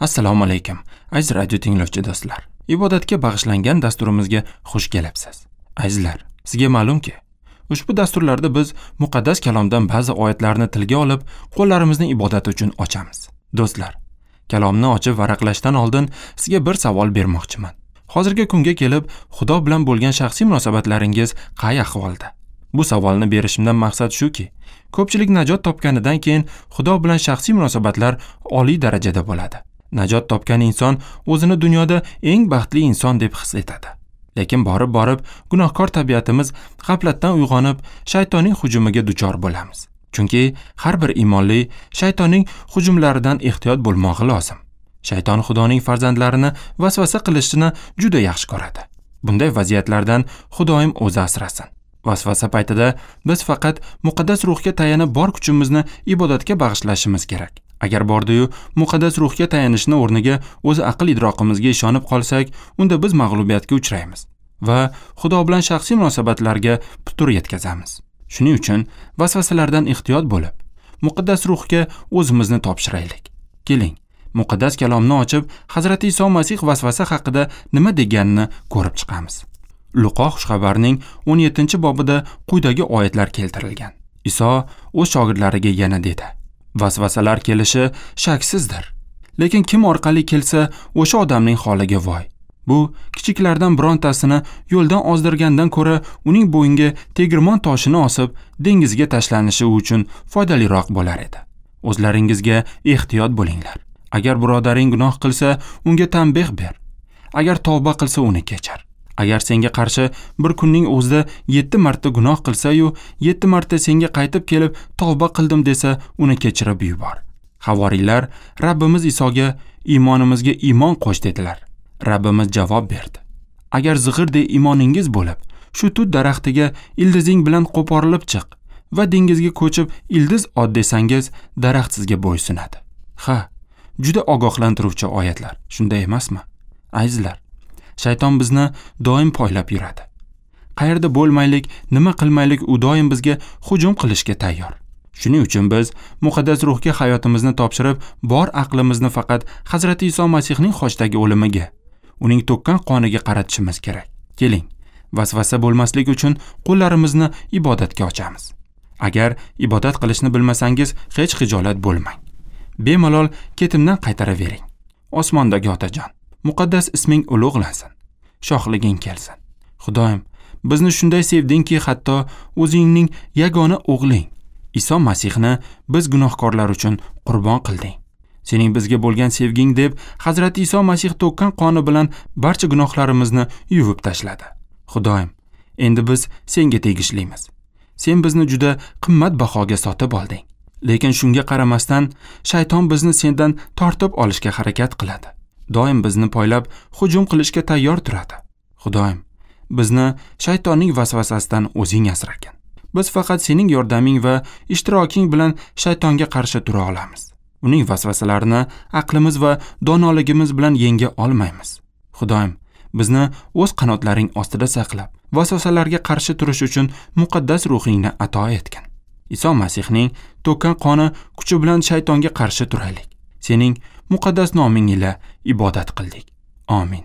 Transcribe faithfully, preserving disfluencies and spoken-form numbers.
Assalomu alaykum, aziz radio tinglovchi do'stlar. Ibodatga bag'ishlangan dasturimizga xush kelibsiz. Azizlar, sizga ma'lumki, ushbu dasturlarda biz muqaddas kalomdan ba'zi oyatlarni tilga olib, qo'llarimizni ibodat uchun ochamiz. Do'stlar, kalomni ochib varaqlashdan oldin sizga bir savol bermoqchiman. Hozirgi kunga kelib, Xudo bilan bo'lgan shaxsiy munosabatlaringiz qay ahvolda? Bu savolni berishimdan maqsad shuki, ko'pchilik najot topganidan keyin Xudo bilan shaxsiy munosabatlar oliy darajada bo'ladi. Najot topgan inson o'zini dunyoda eng baxtli inson deb his etadi. Lekin borib-borib gunohkor tabiatimiz g'aflatdan uyg'onib, shaytonning hujumiga duchor bo'lamiz. Chunki har bir iymonli shaytonning hujumlaridan ehtiyot bo'lmog'i lozim. Shayton Xudoning farzandlarini vasvasa qilishini juda yaxshi ko'radi. Bunday vaziyatlardan Xudoyim o'zi asrasin. Vasvasa paytida biz faqat muqaddas ruhga tayanib bor kuchimizni ibodatga bag'ishlashimiz kerak. Agar bordi-yu muqaddas ruhga tayanishni o'rniga o'z aql idroqimizga ishonib qolsak, unda biz mag'lubiyatga uchraymiz va Xudo bilan shaxsiy munosabatlarga putur yetkazamiz. Shuning uchun vasvasalardan ehtiyot bo'lib, muqaddas ruhga o'zimizni topshiraylik. Keling, muqaddas kalomni ochib, Hazrati Iso Masih vasvasa haqida nima deganini ko'rib chiqamiz. Luqo xushxabarning o'n yettinchi bobida quyidagi oyatlar keltirilgan. Iso o'z shogirdlariga yana dedi: Vasvasalar kelishi shaksizdir. Lekin kim orqali kelsa, o'sha odamning holiga voy. Bu kichiklardan birontasini yo'ldan ozdirgandan ko'ra uning bo'yniga tegirmon toshini osib, dengizga tashlanishi uchun foydaliroq bo'lar edi. O'zlaringizga ehtiyot bo'linglar. Agar birodaring gunoh qilsa, unga tanbeh ber. Agar tavba qilsa, uni kechir. Agar senga qarshi bir kunning o'zida yetti marta gunoh qilsa-yu, yetti marta senga qaytib kelib tavba qildim desa, uni kechirib yubor. Havoriylar Rabbimiz Isoga iymonimizga iymon qo'sh dedilar. Rabbimiz javob berdi: Agar zig'irdek iymoningiz bo'lib, shu tut daraxtiga ildizing bilan qo'porilib chiq va dengizga ko'chib ildiz ot desangiz, daraxt sizga bo'ysunadi. Ha, juda ogohlantiruvchi oyatlar, shunday emasmi? Azizlar, shayton bizni doim poylab yuradi. Qayerda bo'lmaylik, nima qilmaylik, u doim bizga hujum qilishga tayyor. Shuning uchun biz muqaddas ruhga hayotimizni topshirib, bor aqlimizni faqat Hazrati Iso Masihning xochdagi o'limiga, uning to'kkan qoniga qaratishimiz kerak. Keling, vasvasa bo'lmaslik uchun qo'llarimizni ibodatga ochamiz. Agar ibodat qilishni bilmasangiz, hech xijolat bo'lmang. Bemalol ketimdan qaytaravering. Osmondagi Otajon, muqaddas isming ulug'lansin. Shohliging kelsin. Xudoyim, bizni shunday sevdingki, hatto o'zingning yagona o'g'ling Iso Masihni biz gunohkorlar uchun qurbon qilding. Sening bizga bo'lgan sevging deb Hazrati Iso Masih to'kkan qoni bilan barcha gunohlarimizni yuvib tashladi. Xudoyim, endi biz senga tegishlimiz. Sen bizni juda qimmat bahoga sotib olding. Lekin shunga qaramasdan shayton bizni sendan tortib olishga harakat qiladi. Doim bizni poylab hujum qilishga tayyor turadi. Xudoyim, bizni shaytonning vasvasasidan o'zing asragin. Biz faqat sening yordaming va ishtiroking bilan shaytonga qarshi tura olamiz. Uning vasvasalarini aqlimiz va donoligimiz bilan yenga olmaymiz. Xudoyim, bizni o'z qanotlaring ostida saqlab, vasvasalarga qarshi turish uchun muqaddas ruhingni ato etgin. Iso Masihning to'kkan qoni kuchi bilan shaytonga qarshi turaylik. Sening muqaddas noming ila ibodat qildik. Amin.